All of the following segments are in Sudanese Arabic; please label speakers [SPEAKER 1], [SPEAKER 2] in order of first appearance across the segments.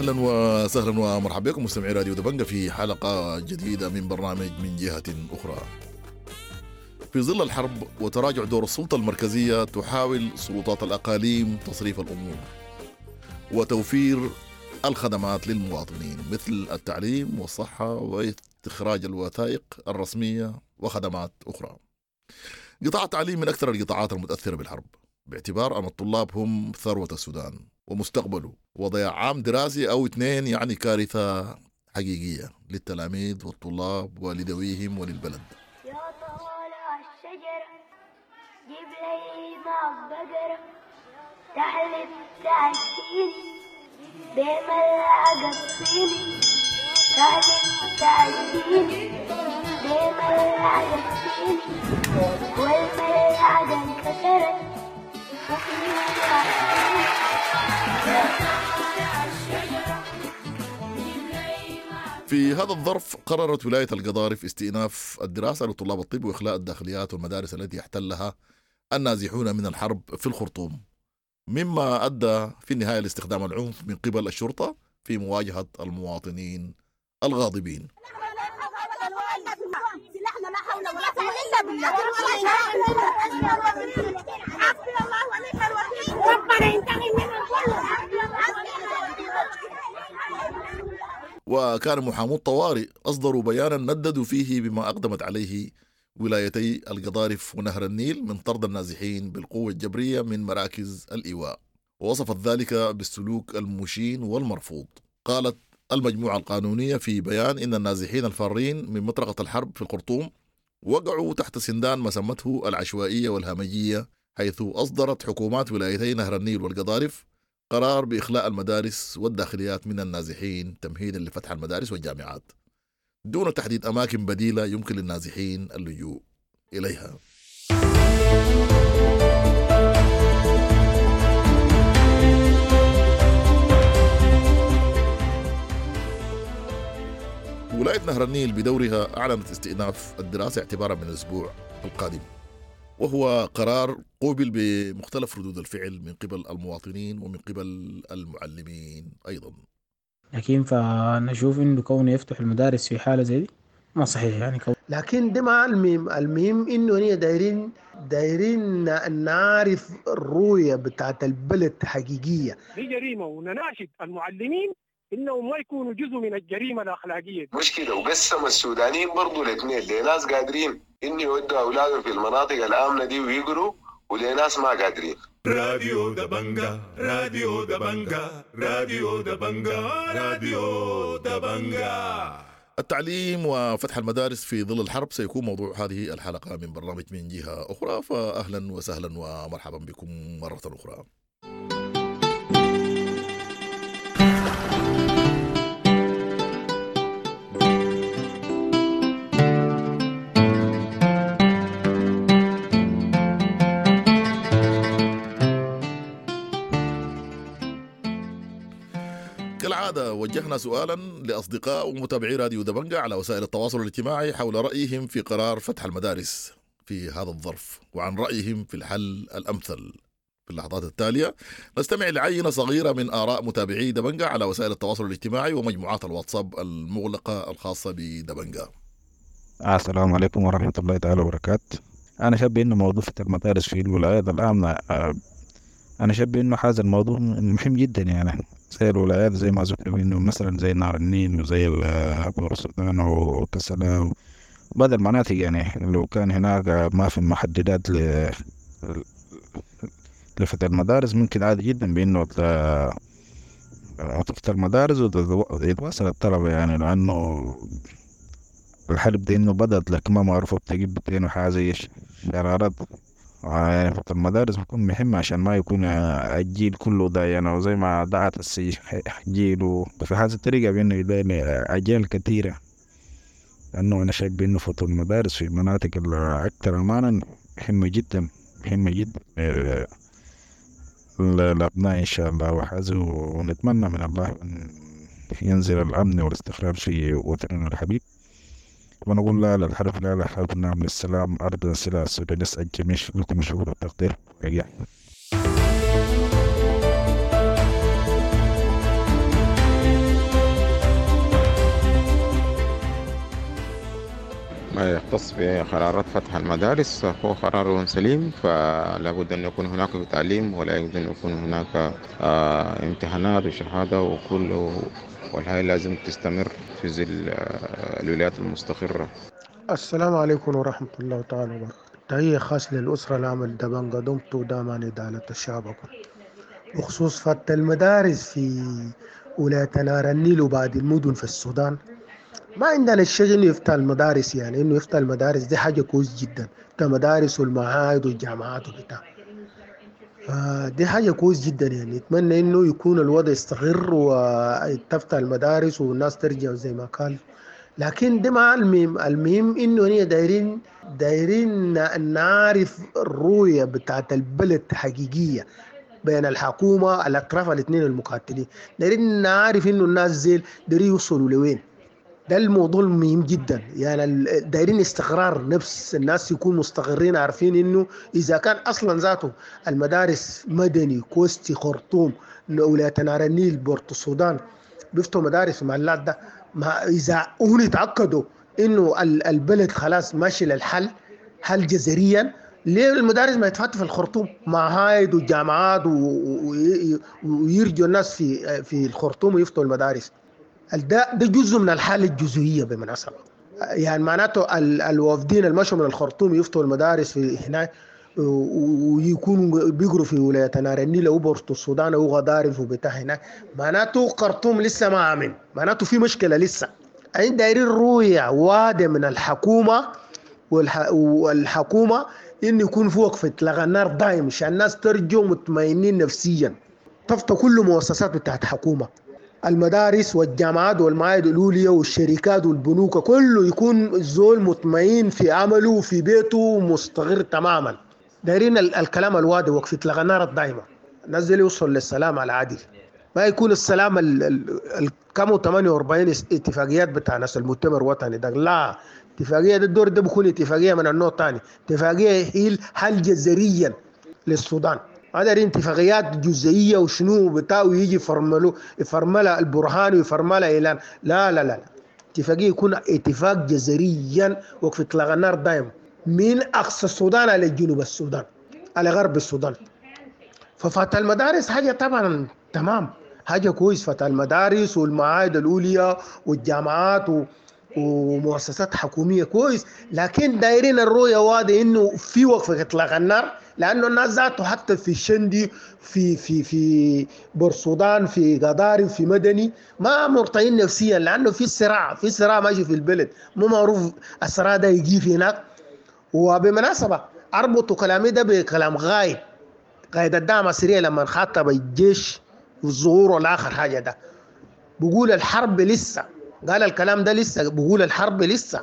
[SPEAKER 1] اهلا وسهلا ومرحبا بكم مستمعي راديو دبنجة في حلقة جديدة من برنامج من جهة اخرى. في ظل الحرب وتراجع دور السلطة المركزية، تحاول سلطات الاقاليم تصريف الامور وتوفير الخدمات للمواطنين مثل التعليم والصحة واستخراج الوثائق الرسمية وخدمات اخرى. قطاع التعليم من اكثر القطاعات المتاثرة بالحرب، باعتبار ان الطلاب هم ثروة السودان ومستقبله، وضياع عام دراسي او اثنين يعني كارثة حقيقية للتلاميذ والطلاب ولذويهم وللبلد.
[SPEAKER 2] يا طالع الشجرة، جيب لي معك بقرة تحلب تعشيني بملعقة صيني، تحلب تعشيني بملعقة صيني، والملعقة انكسرت وفيها صيني.
[SPEAKER 1] في هذا الظرف قررت ولاية القضارف استئناف الدراسة لطلاب الطب وإخلاء الداخليات والمدارس التي احتلها النازحون من الحرب في الخرطوم، مما أدى في النهاية لاستخدام العنف من قبل الشرطة في مواجهة المواطنين الغاضبين.
[SPEAKER 3] سلاحنا لا حول ولا قوة إلا بالله. حسبي الله ونعم الوكيل، ربنا ينتقم منهم كلهم.
[SPEAKER 1] وكان محامو الطوارئ أصدروا بيانا نددوا فيه بما أقدمت عليه ولايتي القضارف ونهر النيل من طرد النازحين بالقوة الجبرية من مراكز الإيواء، ووصفت ذلك بالسلوك المشين والمرفوض. قالت المجموعة القانونية في بيان إن النازحين الفارين من مطرقة الحرب في الخرطوم وقعوا تحت سندان ما سمته العشوائية والهمجية، حيث أصدرت حكومات ولايتي نهر النيل والقضارف قرار بإخلاء المدارس والداخليات من النازحين تمهيدا لفتح المدارس والجامعات دون تحديد أماكن بديلة يمكن للنازحين اللجوء إليها. ولاية نهر النيل بدورها أعلنت استئناف الدراسة اعتبارا من الأسبوع القادم، وهو قرار قوبل بمختلف ردود الفعل من قبل المواطنين ومن قبل المعلمين أيضا.
[SPEAKER 4] لكن فنشوف انه كونه يفتح المدارس في حاله زي دي ما صحيح يعني
[SPEAKER 5] لكن ده ما المهم، المهم انه هي دايرين نعرف الرؤية بتاعت البلد حقيقية.
[SPEAKER 6] دي جريمة، ونناشد المعلمين انهم ما يكونوا جزء من الجريمة الاخلاقية.
[SPEAKER 7] مشكلة، وقسم السودانيين برضو الاثنين، لناس قادرين ان يودوا اولادهم في المناطق الامنة دي ويقروا، ولناس ما قادرين.
[SPEAKER 8] راديو دبنجة، راديو دبنجة، راديو دبنجة، راديو دبنجة.
[SPEAKER 1] التعليم وفتح المدارس في ظل الحرب سيكون موضوع هذه الحلقة من برنامج من جهة أخرى، فأهلا وسهلا ومرحبا بكم مرة أخرى. كالعادة وجهنا سؤالا لأصدقاء ومتابعي راديو دبنجة على وسائل التواصل الاجتماعي حول رأيهم في قرار فتح المدارس في هذا الظرف وعن رأيهم في الحل الأمثل. في اللحظات التالية نستمع لعينة صغيرة من آراء متابعي دبنجة على وسائل التواصل الاجتماعي ومجموعات الواتساب المغلقة الخاصة بدبنجة.
[SPEAKER 9] السلام عليكم ورحمة الله تعالى وبركاته. أنا شايف إنه موضوع فتح المدارس في الولايات الآمنة، أنا شايف إنه هذا الموضوع مهم جدا، يعني زي الولايات زي ما ذكر إنه مثلا زي نهر النيل وزي بورسودان وكسلا وبعض المناطق، يعني لو كان هناك ما في محددات لفتح المدارس ممكن عادي جدا بإنه تفتح المدارس ويتواصل الطلبة، يعني لأنه الحرب دي إنه بدأت لكن ما معروفة بتجيب بتين وحاجة زي شرارات. يعني فتح المدارس بيكون مهم عشان ما يكون الجيل كله ده، يعني وزي ما دعت الجيل وفي هذه الطريقة بإنه يلاقي أجيال كثيرة، لأنه أنا شايف بإنه فتح المدارس في المناطق الأكثر أمانا مهمة جدا، مهمة جدا للأبناء إن شاء الله وحازم، ونتمنى من الله أن ينزل الأمن والاستقرار في وطننا الحبيب. ونقول لا للحرب، لا للحرب، نعم للسلام، أرض السلاح السوداني. نسأل الجميع لكم شعور التقدير.
[SPEAKER 10] المختص بقرارات فتح المدارس هو قرار سليم، فلا بد أن يكون هناك تعليم ولا يجوز أن يكون هناك امتحانات وشهادة وكل، والحياة لازم تستمر في ظل الولايات المستقرة.
[SPEAKER 5] السلام عليكم ورحمة الله تعالى وبركاته. تحية خاص للأسرة العمل دبنجا دمتو داما إدالة الشعب. بخصوص فتح المدارس في ولاية نهر النيل وبعد المدن في السودان، ما عندنا الشيء انه يفتح المدارس، يعني انه يفتح المدارس دي حاجة كويس جدا، يفتح المدارس والمعاهد والجامعات وبتاع، فدي حاجة كويس جدا. يعني اتمنى انه يكون الوضع يستقر وتفتح المدارس والناس ترجع زي ما كان، لكن ده ما المهم. المهم انه هي دايرين نعرف الرؤية بتاعت البلد حقيقية بين الحكومة الأطراف الاثنين المقاتلين، دايرين نعرف انه الناس زي دايرين يوصلوا لوين. ده الموضوع المهم جدا. يعني دايرين استقرار نفس الناس يكونوا مستقرين، عارفين انه اذا كان اصلا ذاته المدارس مدني كوستي خرطوم ولاية نهر النيل بورت السودان بيفتحوا مدارس محلات ده، ما اذا هم يتاكدوا انه البلد خلاص ماشي للحل حل جذريا، ليه المدارس ما يتفتح في الخرطوم معاهد والجامعات ويرجوا الناس في الخرطوم ويفتحوا المدارس؟ ده جزء من الحالة الجزئية بالمناسبة. يعني معناته الوافدين المشوا من الخرطوم يفتحوا المدارس في هناك ويكونوا بيقروا في ولاية نهر النيل أو بورتو السودان أو غضارف وبتاع هناك، معناته خرطوم لسه ما آمن، معناته في مشكلة لسه. عند دايرين رؤية واضحة من الحكومة والحكومة إن يكون في وقفة إطلاق النار دائم عشان الناس ترجو مطمئنين نفسيا. تفتح كل مؤسسات بتاعت حكومة، المدارس والجامعات والمعاهد الأولية والشركات والبنوك، كله يكون الزول مطمئن في عمله وفي بيته مستقر تماما. دايرين الكلام الواضح، وقف إطلاق النار الدائمة، الناس دي يوصل للسلام العادل، ما يكون السلام كم 48 اتفاقيات بتاع ناس المؤتمر الوطني ده، لا اتفاقية ده الدور ده بيكون اتفاقية من النوع الثاني، اتفاقية هي حل جذريا للسودان. ما دارين اتفاقيات جزئية وشنو بتاع ويجي يفرملها البرهان ويفرملها إعلان، لا لا لا، اتفاقية يكون اتفاق جذريا وقف إطلاق النار دائم من أقصى السودان على جنوب السودان على غرب السودان. ففتح المدارس حاجة طبعا تمام، حاجة كويس، فتح المدارس والمعاهد الأولية والجامعات ومؤسسات حكومية كويس، لكن دايرين الرؤية واضحة إنه في وقف إطلاق النار، لأنه الناس ذاته حتى في الشندي في في في بورسودان في قضارف في مدني ما مرتاحين نفسيا، لأنه في صراع، في صراع ماشي في البلد، مو معروف الصراع ده يجي في هناك. وبمناسبة أربط كلامي ده بكلام قائد الدعم السريع لما خاطب الجيش والظهور والآخر حاجة ده، بقول الحرب لسه، قال الكلام ده لسه، بقول الحرب لسه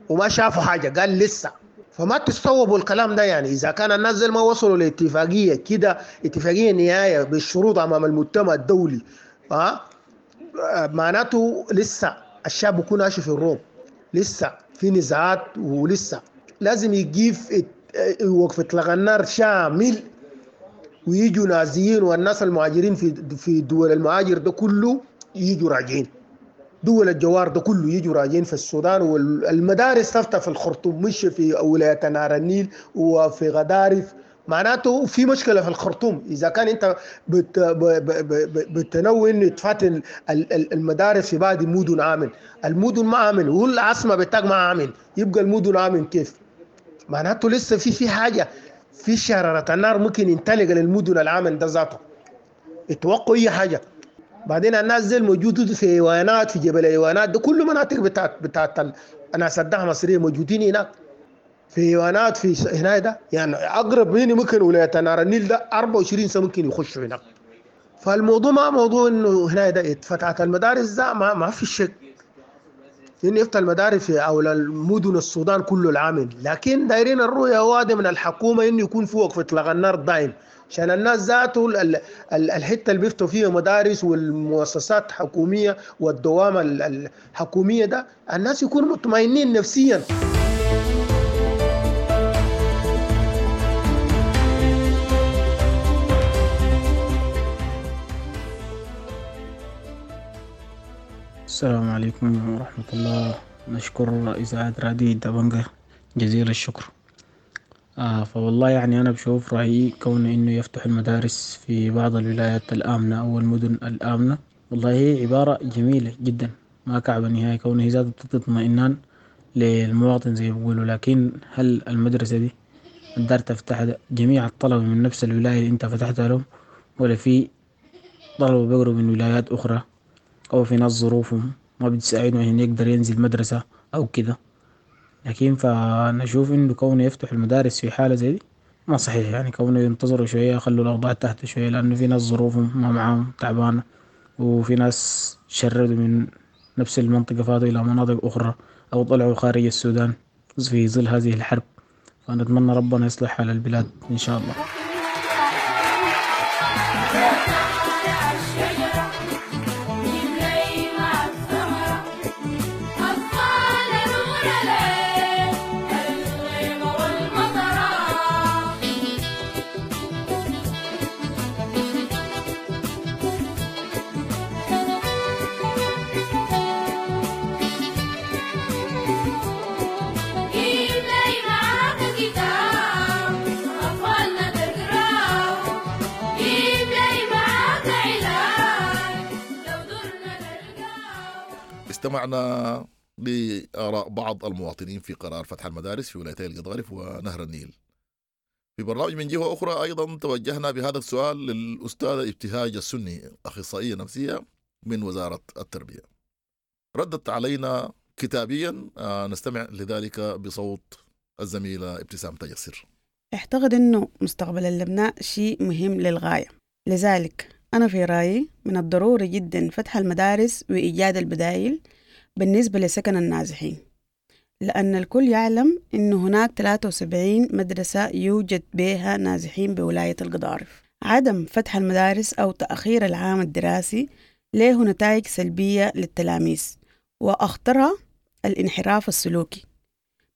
[SPEAKER 5] وما شافوا حاجة، قال لسه. فما تستوعبوا الكلام ده. يعني إذا كان الناس زي ما وصلوا لاتفاقية كده، اتفاقية نهاية بالشروط أمام المجتمع الدولي، معناته لسه الشعب بيكون عايش في الروم، لسه في نزاعات، ولسه لازم يجيف وقف إطلاق النار شامل، ويجوا نازيين والناس المهاجرين في دول المهاجر ده كله يجوا راجعين، دول الجوار ده كله يجوا راجعين في السودان، والمدارس تفتح في الخرطوم مش في ولاية نهر النيل وفي غدارف. معناته في مشكلة في الخرطوم إذا كان أنت بتنوي إنه تفاتح المدارس في بعض المدن عامل، المدن ما عامل، والعاصمة بتاعك ما عامل، يبقى المدن عامل كيف؟ معناته لسه في حاجة، في شرارة النار ممكن ينطلق للمدن العامل ده ذاته، اتوقعوا أي حاجة. بعدين الناس زي الموجودة في ايوانات في جبل ايوانات ده كل مناطق بتاعت الناس الدعم المصرية موجودين هناك في ايوانات في هنا ده، يعني اقرب مني ممكن ولاية نهر النيل ده 24 سنة ممكن يخشوا هناك. فالموضوع ما موضوع انه هنا ده فتحت المدارس ده ما في شك انه يفتح المدارس في او المدن السودان كله العامل، لكن دايرين الرؤية واضحة من الحكومة انه يكون في وقف اطلاق النار دائم، عشان الناس ذاته الحتة اللي بيفتحوا فيها مدارس والمؤسسات الحكومية والدوام الحكومية ده الناس يكونوا مطمئنين نفسيا.
[SPEAKER 4] السلام عليكم ورحمة الله. نشكر إذاعة راديو دبنجة جزيل الشكر. فوالله يعني أنا بشوف رأيي كون إنه يفتح المدارس في بعض الولايات الآمنة أو المدن الآمنة، والله هي عبارة جميلة جدا ما كعبة نهائي، كونه هي ذاتها بتدي اطمئنان للمواطن زي ما بيقولوا. لكن هل المدرسة دي الدار تفتحها جميع الطلبة من نفس الولاية اللي انت فتحتها لهم، ولا في طلبة بيقروا من ولايات أخرى، أو في ناس ظروفهم ما بتساعدهم عشان يقدر ينزل مدرسة أو كده؟ لكن فنشوف إنه كونه يفتح المدارس في حالة زي دي ما صحيح، يعني كونه ينتظروا شوية يخلوا الأوضاع تحت شوية، لأنه في ناس ظروفهم ما معاهم تعبانة، وفي ناس شردوا من نفس المنطقة فاتوا إلى مناطق أخرى أو طلعوا خارج السودان في ظل هذه الحرب. فنتمنى ربنا يصلح حال البلاد إن شاء الله.
[SPEAKER 1] استمعنا لآراء بعض المواطنين في قرار فتح المدارس في ولايتي القضارف ونهر النيل. في برنامج من جهة أخرى أيضا توجهنا بهذا السؤال للأستاذة ابتهاج السني، أخصائية نفسية من وزارة التربية. ردت علينا كتابيا، نستمع لذلك بصوت الزميلة ابتسام تيسر.
[SPEAKER 11] اعتقد أنه مستقبل الأبناء شيء مهم للغاية، لذلك أنا في رأيي من الضروري جدا فتح المدارس وإيجاد البدائل بالنسبة لسكن النازحين، لأن الكل يعلم أن هناك 73 مدرسة يوجد بها نازحين بولاية القضارف. عدم فتح المدارس أو تأخير العام الدراسي له نتائج سلبية للتلاميذ، وأخطرها الانحراف السلوكي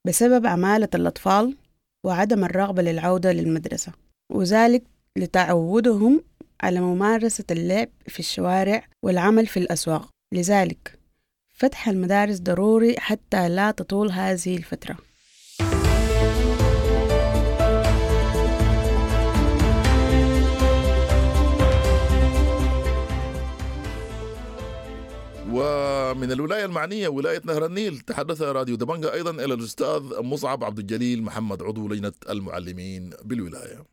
[SPEAKER 11] بسبب عمالة الأطفال وعدم الرغبة للعودة للمدرسة، وذلك لتعودهم على ممارسة اللعب في الشوارع والعمل في الأسواق. لذلك فتح المدارس ضروري حتى لا تطول هذه الفترة.
[SPEAKER 1] ومن الولاية المعنية ولاية نهر النيل تحدث راديو دبنجا أيضا إلى الأستاذ مصعب عبد الجليل محمد عضو لجنة المعلمين بالولاية.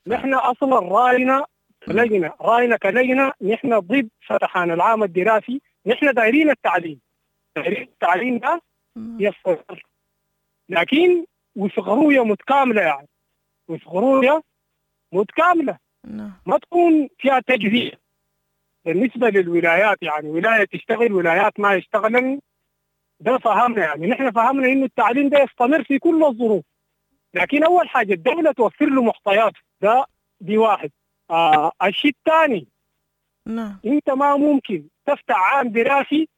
[SPEAKER 6] نحن أصلا رأينا لجنة، رأينا كلجنة نحن ضد فتحان العام الدراسي. نحن دايرين التعليم، دايرين التعليم ده يستمر، لكن وفق رؤية متكاملة، يعني وفق رؤية متكاملة ما تكون فيها تجزئة بالنسبة للولايات، يعني ولاية تشتغل ولايات ما يشتغلن. ده فهمنا، يعني نحن فهمنا إنه التعليم ده يستمر في كل الظروف، لكن أول حاجة الدولة توفر له محتويات، ده دي واحد. الشيء الثاني، أنت ما ممكن تفتح عام دراسي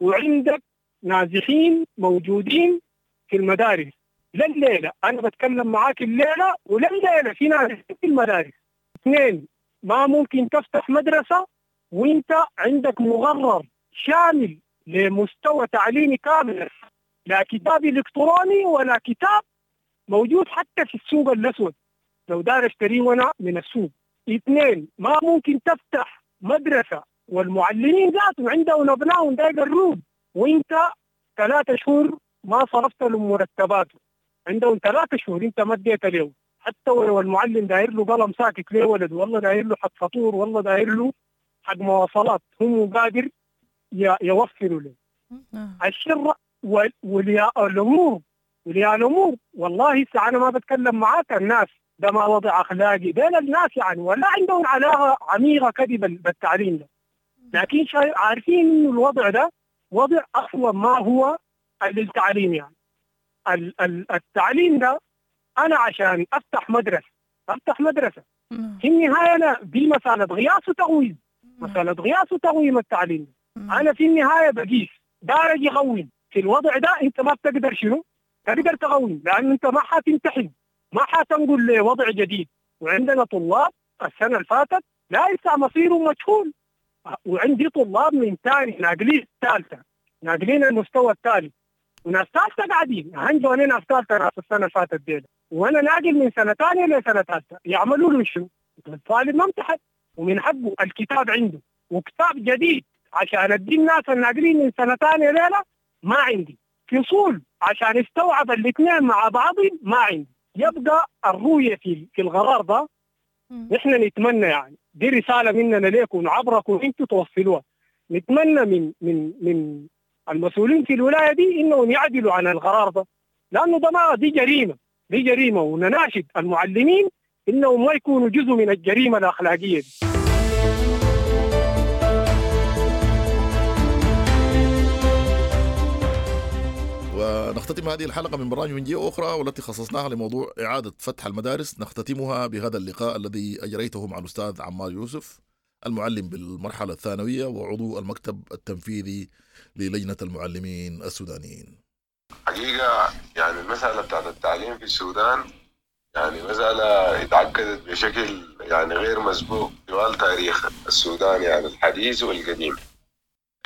[SPEAKER 6] وعندك نازحين موجودين في المدارس لليلة. أنا بتكلم معاك الليلة ولليلة في نازحين في المدارس. اثنين، ما ممكن تفتح مدرسة وانت عندك مغرر شامل لمستوى تعليمي كامل، لا كتاب إلكتروني ولا كتاب موجود حتى في السوق الأسود لو دار اشتريه وانا من السوق. اثنين، ما ممكن تفتح مدرسة والمعلمين ذاتهم عندهم أبنائهم داير الروب وانت 3 شهور ما صرفت لهم مرتباته، عندهم 3 شهور انت ما اديت له، حتى ولو المعلم داير له قلم ساكت ليه ولد، والله داير له حق فطور، والله داير له حق مواصلات، هم قادر يوفروا له. الشر ولياء الأمور، ولياء الأمور والله أنا ما بتكلم معاك، الناس ده ما وضع أخلاقي بين الناس يعني، ولا عندهم علاقة عميقة كده بالتعليم ده، لكن عارفين إنه الوضع ده وضع أصلا ما هو للتعليم. يعني التعليم ده أنا عشان أفتح مدرسة في النهاية أنا دي مسألة غياس وتقويم، مسألة غياس وتقويم التعليم. أنا في النهاية بقيس دارج يقوم في الوضع ده، أنت ما بتقدر شنو تقدر تقوم، لأن أنت ما حتمتحن، ما حتنقل لوضع جديد. وعندنا طلاب السنة اللي فاتت لا لسه مصيره مجهول، وعندي طلاب من ثاني ناقلين الثالثة، ناقلين المستوى الثالث، وناس ثالثة قاعدين هنجوا ناس ثالثة ناس السنة اللي فاتت دي، وانا ناقل من سنة ثانية لسنه ثالثة، يعملوا له شنو؟ الطالب ما امتحن ومن حقه الكتاب عنده، وكتاب جديد عشان ادي الناس الناقلين من سنة ثانية ليلة ما عندي، فصول عشان يستوعب الاثنين مع بعض ما عندي. يبقى الرؤية في القرار ده نحن نتمنى، يعني دي رسالة مننا لكم عبركم انتم توصلوها، نتمنى من من من المسؤولين في الولاية دي انهم يعدلوا عن القرار ده، لانه ده ما دي جريمة، دي جريمة، ونناشد المعلمين انهم ما يكونوا جزء من الجريمة الاخلاقية دي.
[SPEAKER 1] ونختتم هذه الحلقة من برنامج من جهة أخرى والتي خصصناها لموضوع إعادة فتح المدارس، نختتمها بهذا اللقاء الذي أجريته مع الأستاذ عمار يوسف المعلم بالمرحلة الثانوية وعضو المكتب التنفيذي للجنة المعلمين السودانيين.
[SPEAKER 7] حقيقة يعني المسألة بتاعت التعليم في السودان يعني مسألة اتعقدت بشكل يعني غير مسبوق طوال تاريخ السودان، يعني الحديث والقديم.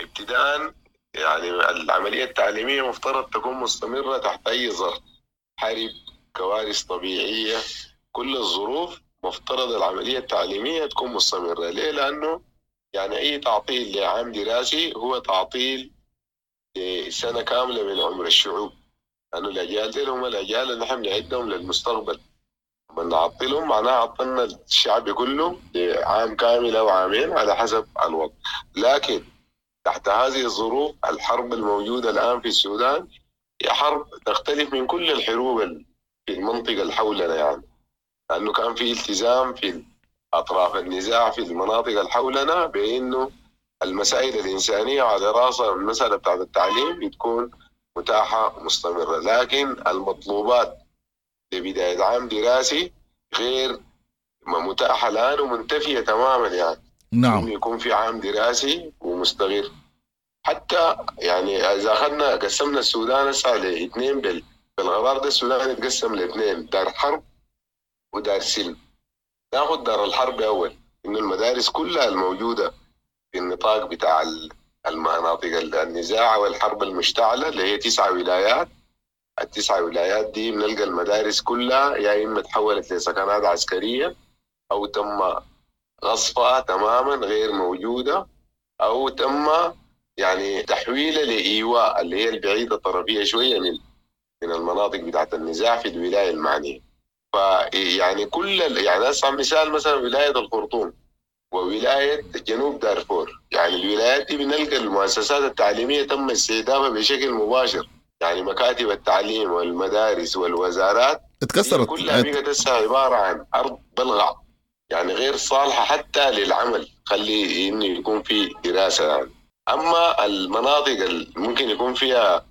[SPEAKER 7] ابتداء يعني العملية التعليمية مفترض تكون مستمرة تحت أي ظرف، حرب، كوارث طبيعية، كل الظروف مفترض العملية التعليمية تكون مستمرة. ليه؟ لأنه يعني أي تعطيل لعام دراسي هو تعطيل لسنة كاملة من عمر الشعوب، لأنه الأجيال دي هم الأجيال اللي نحن بنعدهم للمستقبل، لما نعطلهم معناها عطلنا الشعب كله لعام كامل أو عامين على حسب الوضع. لكن تحت هذه الظروف الحرب الموجودة الآن في السودان هي حرب تختلف من كل الحروب في المنطقة اللي حولنا، يعني لأنه كان في التزام في أطراف النزاع في المناطق اللي حولنا بأنه المسائل الإنسانية على رأسها المسألة بتاعت التعليم بتكون متاحة ومستمرة. لكن المطلوبات لبداية عام دراسي غير متاحة الآن ومنتفية تماما، يعني
[SPEAKER 1] نعم
[SPEAKER 7] يكون في عام دراسي ومستمر. حتى يعني إذا أخذنا قسمنا السودان هسه لاثنين بالغرار ده، السودان يتقسم لاثنين، دار حرب ودار سلم. ناخذ دار الحرب أول، إنه المدارس كلها الموجودة في النطاق بتاع المناطق النزاع والحرب المشتعلة اللي هي 9 ولايات، ال9 ولايات دي بنلقى المدارس كلها يا إما تحولت لسكنات عسكرية أو تم غصفها تماما غير موجودة، أو تم يعني تحويلها لإيواء اللي هي البعيدة الطرفية شوية من المناطق بتاعت النزاع في الولاية المعنية. فيعني كل يعني أسمع مثال مثلا ولاية الخرطوم وولاية جنوب دارفور، يعني الولايات دي بنلقى المؤسسات التعليمية تم استهدافها بشكل مباشر، يعني مكاتب التعليم والمدارس والوزارات
[SPEAKER 1] اتكسرت
[SPEAKER 7] كلها بقت هسه عبارة عن أرض بلغع، يعني غير صالحة حتى للعمل، خلي إنه يكون في دراسة يعني. أما المناطق اللي ممكن يكون فيها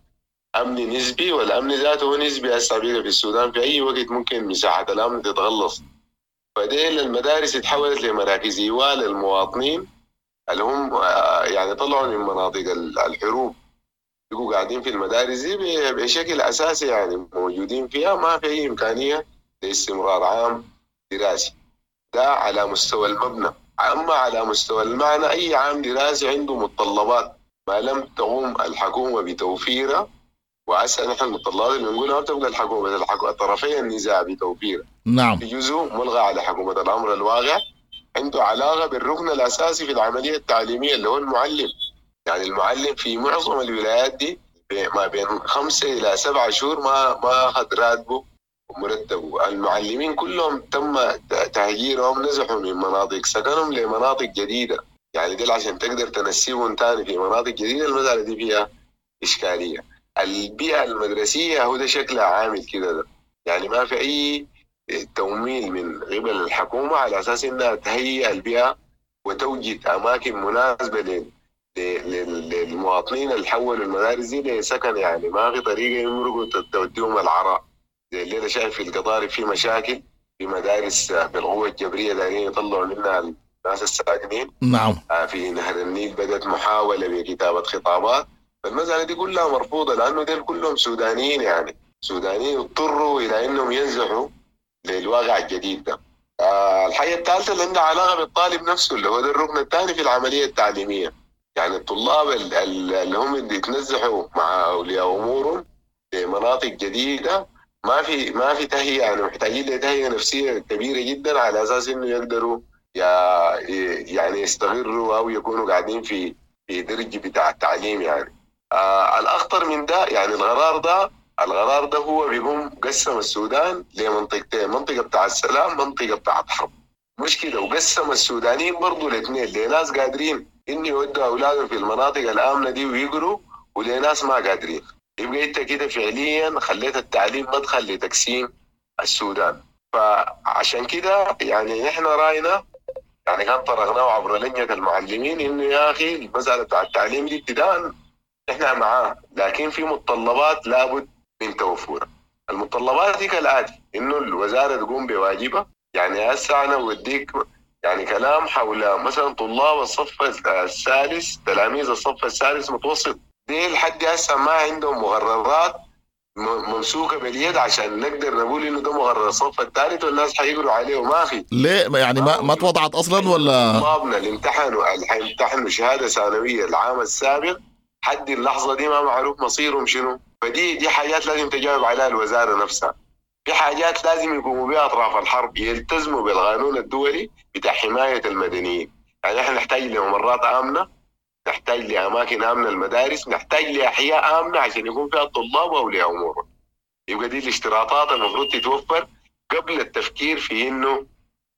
[SPEAKER 7] أمن نسبي، والأمن ذاته نسبي هسه بقى في السودان في أي وقت ممكن مساحة الأمن تتغلص، فديل المدارس اتحولت لمراكز إيواء للمواطنين اللي هم يعني طلعوا من مناطق الحروب، بيبقوا قاعدين في المدارس دي بشكل أساسي، يعني موجودين فيها، ما في أي إمكانية لاستمرار عام دراسي. ده على مستوى المبنى. أما على مستوى المعنى أي عام دراسي عنده متطلبات ما لم تقوم الحكومة بتوفيرها، وعسى نحن المتطلبات اللي بنقولها ما بتبقى الحكومة، طرفي النزاع بتوفيرها.
[SPEAKER 1] نعم.
[SPEAKER 7] في جزء ملغى على حكومة الأمر الواقع عنده علاقة بالركن الأساسي في العملية التعليمية اللي هو المعلم. يعني المعلم في معظم الولايات دي ما بين 5 إلى 7 شهور ما أخذ راتبه ومرتبة. المعلمين كلهم تم تهجيرهم، نزحوا من مناطق سكنهم لمناطق جديدة، يعني دي عشان تقدر تنسيبهم تاني في مناطق جديدة المسألة دي فيها إشكالية. البيئة المدرسية هو ده شكلها عامل كده ده، يعني ما في أي تمويل من قبل الحكومة على أساس إنها تهيئ البيئة وتوجد أماكن مناسبة للمواطنين اللي حولوا المدارس دي لسكن، يعني ما في طريقة يمرقوا توديهم العراء. زي اللي أنا شايف في القضارف في مشاكل في مدارس بالقوة الجبرية دايرين يطلعوا منها الناس الساكنين.
[SPEAKER 1] نعم.
[SPEAKER 7] في نهر النيل بدأت محاولة بكتابة خطابات، فالمسألة دي كلها مرفوضة لأنه دول كلهم سودانيين، يعني سودانيين اضطروا إلى إنهم ينزحوا للواقع الجديد ده. الحاجة الثالثة اللي عندها علاقة بالطالب نفسه اللي هو ده الركن الثاني في العملية التعليمية، يعني الطلاب اللي هم اللي يتنزحوا مع أولياء أمورهم لمناطق جديدة، ما في تهيئة، يعني محتاجين لتهيئه نفسية كبيرة جدا على اساس انه يقدروا يعني يستغروا او يكونوا قاعدين في درج بتاع التعليم يعني. الاخطر من ده يعني القرار ده هو بيقوم قسم السودان لمنطقتين، منطقة بتاع السلام، منطقة بتاع الحرب. مش كده، وقسم السودانيين برضه لاثنين، لناس قادرين انه يودوا اولادهم في المناطق الامنة دي ويقروا، ولناس ما قادرين. يبقى انت كده فعليا خليت التعليم مدخل لتقسيم السودان. فعشان كده يعني نحن راينا يعني كان طرقناه عبر لجنة المعلمين انه يا اخي المسالة بتاع التعليم دي ابتداء احنا معاه، لكن في متطلبات لابد من توفرها. المتطلبات دي كالاتي: انه الوزارة تقوم بواجبها. يعني هسه انا بوديك يعني كلام حول مثلا طلاب الصف الثالث، تلاميذ الصف الثالث متوسط، دي لحد هسه ما عندهم مقررات ممسوكه باليد عشان نقدر نقول انه ده مقرر الصف الثالث والناس حيقروا عليه، وما في.
[SPEAKER 1] ليه يعني ما توضعت اصلا ولا؟
[SPEAKER 7] طلابنا اللي امتحنوا اللي حيمتحنوا شهادة ثانوية العام السابق حد اللحظة دي ما معروف مصيرهم شنو. فدي حاجات لازم تجاوب عليها الوزارة نفسها. في حاجات لازم يقوموا بها اطراف الحرب، يلتزموا بالقانون الدولي بتاع حماية المدنيين. يعني احنا نحتاج لممرات امنه، نحتاج لاماكن امنه المدارس، نحتاج لاحياء امنه عشان يكون فيها الطلاب واولياء امورهم. يبقى دي الاشتراطات المفروض تتوفر قبل التفكير في انه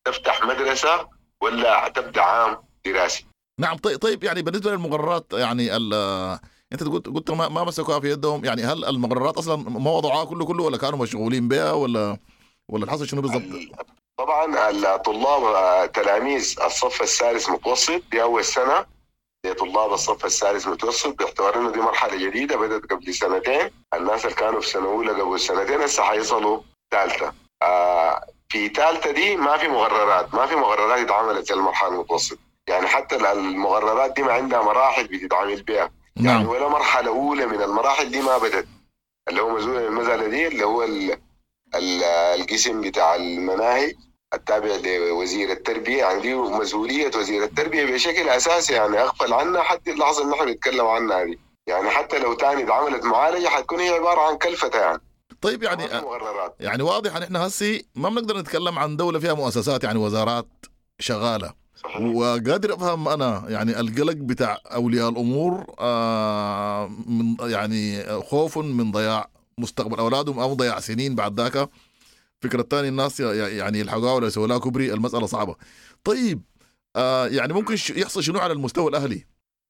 [SPEAKER 7] تفتح مدرسه ولا تبدا عام دراسي.
[SPEAKER 1] نعم. طيب يعني بالنسبة للمقررات، يعني انت قلت ما مسكوها في يدهم، يعني هل المقررات اصلا ما وضعوها كله ولا كانوا مشغولين بها ولا الحصل شنو بالضبط؟
[SPEAKER 7] طبعا الطلاب تلاميذ الصف الثالث متوسط، دي اول سنة لطلاب الصف الثالث متوسط، باعتبار انه دي مرحلة جديدة بدات قبل سنتين. الناس اللي كانوا في سنة اولى قبل سنتين هسه حيصلوا ثالثة. في ثالثة دي ما في مقررات اتعملت للمرحلة المتوسطة. يعني حتى المقررات دي ما عندها مراحل بتتعامل بها. نعم. يعني ولا مرحلة اولى من المراحل دي ما بدت، اللي هو مسؤول المسالة دي اللي هو القسم بتاع المناهج التابع لوزير التربية. يعني دي مسؤولية وزير التربية بشكل اساسي، يعني اغفل عنها حتى اللحظة اللي نحن بنتكلم عنها دي. يعني حتى لو تاني اتعملت معالجة حتكون هي عبارة عن كلفه يعني.
[SPEAKER 1] طيب يعني واضح ان احنا هسي ما بنقدر نتكلم عن دولة فيها مؤسسات، يعني وزارات شغالة. صحيح. وقادر افهم انا يعني القلق بتاع اولياء الامور، من يعني خوف من ضياع مستقبل اولادهم او ضياع سنين بعد ذاك. فكرة الثانية الناس يعني يلحقوها ولا يسووا لها كوبري، المسألة صعبة. طيب يعني ممكن يحصل شنو على المستوى الأهلي؟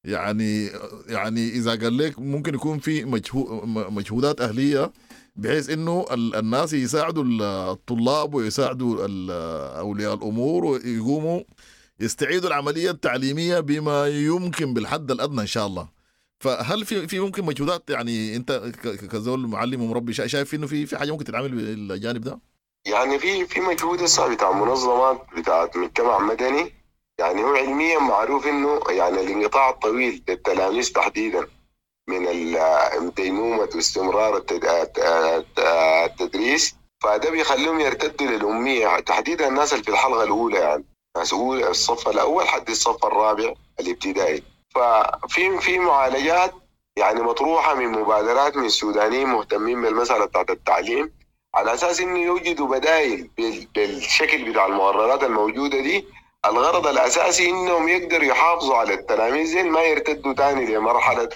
[SPEAKER 1] يعني إذا قال لك ممكن يكون في مجهودات أهلية بحيث إنه الناس يساعدوا الطلاب ويساعدوا أولياء الأمور ويقوموا يستعيدوا العملية التعليمية بما يمكن بالحد الأدنى إن شاء الله. فهل في ممكن مجهودات، يعني أنت كزول معلم ومربي شايف إنه في حاجة ممكن تتعمل بالجانب ده؟
[SPEAKER 7] يعني في مجهود هسه بتاع منظمات بتاعت مجتمع مدني. يعني هو علميا معروف انه يعني الانقطاع الطويل للتلاميذ تحديدا من ديمومة واستمرار التدريس، فده بيخليهم يرتدوا للأمية، تحديدا الناس اللي في الحلقة الأولى، يعني ناس أولى الصف الأول حد الصف الرابع الابتدائي. ففي معالجات يعني مطروحة من مبادرات من السودانيين مهتمين بالمسألة بتاعت التعليم، على اساس انه يوجدوا بدائل بالشكل بتاع المقررات الموجودة دي. الغرض الاساسي انهم يقدروا يحافظوا على التلاميذ ما يرتدوا تاني لمرحلة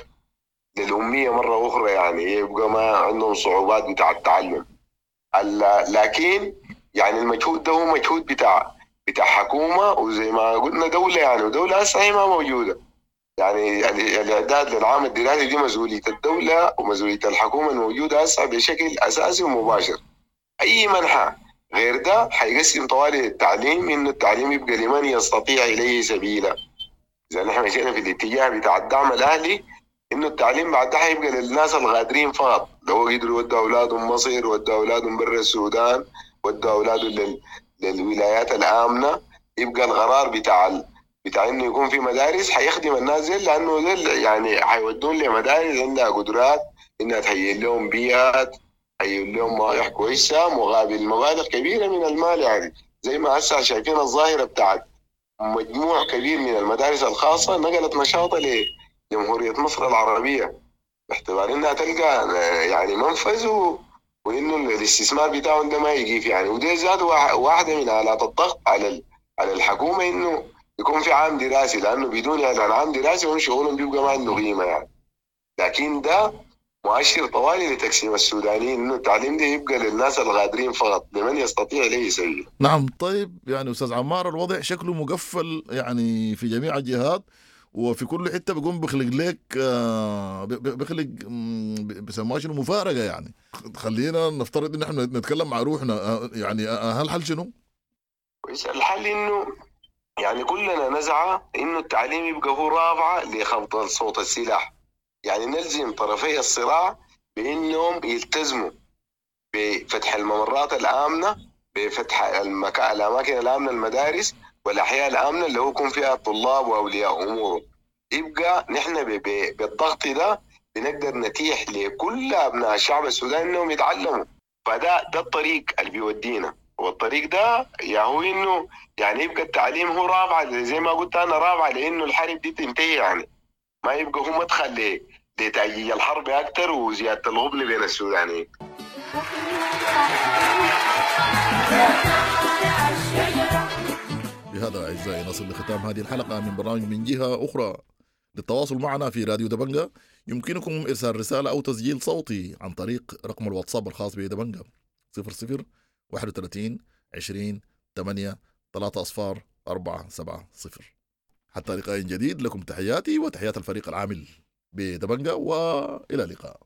[SPEAKER 7] للاميه مرة اخرى، يعني يبقى ما عندهم صعوبات بتاع التعلم. لكن يعني المجهود ده هو مجهود بتاع حكومة، وزي ما قلنا دولة، يعني ودولة هسه هي ما موجودة. يعني الاعداد للعام الدراسي دي مسؤولية الدولة ومسؤولية الحكومة الموجودة هسه بشكل اساسي ومباشر. اي منحى غير ده حيقسم طوالي التعليم، انه التعليم يبقى لمن يستطيع اليه سبيلا. اذا نحن مشينا في الاتجاه بتاع الدعم الاهلي، انه التعليم بعد ده حيبقى للناس الغادرين فقط، لو قدروا ودوا اولادهم مصر، ودوا اولادهم برا السودان، ودوا اولادهم للولايات الامنة، يبقى القرار بتاع انه يكون في مدارس حيخدم الناس دي، لانه دي يعني حيودون لمدارس عندها قدرات انها تهيئ لهم بيئات، تهيئ لهم مواقع كويسة مقابل مبالغ كبيرة من المال. يعني زي ما هسه شايفين الظاهرة بتاعت مجموع كبير من المدارس الخاصة نقلت نشاطها لجمهوريه مصر العربية. باعتبار انها تلقى يعني منفذ وانه الاستثمار بتاعهم ده ما يقيف يعني. وده ذاته واحدة من الات الضغط على على الحكومة انه يكون في عام دراسي، لانه بدون اعلان عام دراسي هم شغلهم بيبقى ما عنده قيمة يعني. لكن ده مؤشر طوالي لتقسيم السودانيين، انه التعليم ده يبقى للناس الغادرين فقط، لمن يستطيع اليه سبيلا.
[SPEAKER 1] نعم. طيب يعني استاذ عمار، الوضع شكله مقفل يعني في جميع الجهات وفي كل حتة بيقوم بيخلق لك بيخلق بيسموها شنو، مفارقه يعني. خلينا نفترض ان احنا نتكلم مع روحنا، يعني هل حل شنو؟
[SPEAKER 7] كويس. الحل انه يعني كلنا نسعى انه التعليم يبقى هو رافعه لخفض صوت السلاح، يعني نلزم طرفي الصراع بانهم يلتزموا بفتح الممرات الامنة، بفتح الاماكن الامنة، المدارس والاحياء الامنة اللي هو يكون فيها الطلاب واولياء امورهم. يبقى نحن بالضغط ده بنقدر نتيح لكل ابناء الشعب السوداني انهم يتعلموا. فده ده الطريق اللي بيودينا، والطريق ده يا هو انه يعني يبقى التعليم هو رافعه، زي ما قلت انا، رافعه لانه الحرب دي تنتهي يعني، ما يبقى هو مدخل لتأجيج الحرب اكثر وزيادة الغبن بين السودانيين.
[SPEAKER 1] بهذا أعزائي نصل لختام هذه الحلقة من برنامج من جهة أخرى. للتواصل معنا في راديو دبنجة يمكنكم إرسال رسالة أو تسجيل صوتي عن طريق رقم الواتساب الخاص بدبنجة 00 31 20 8 3 أصفار 4 7 0. حتى لقاء جديد، لكم تحياتي وتحيات الفريق العامل بدبنجة، وإلى اللقاء.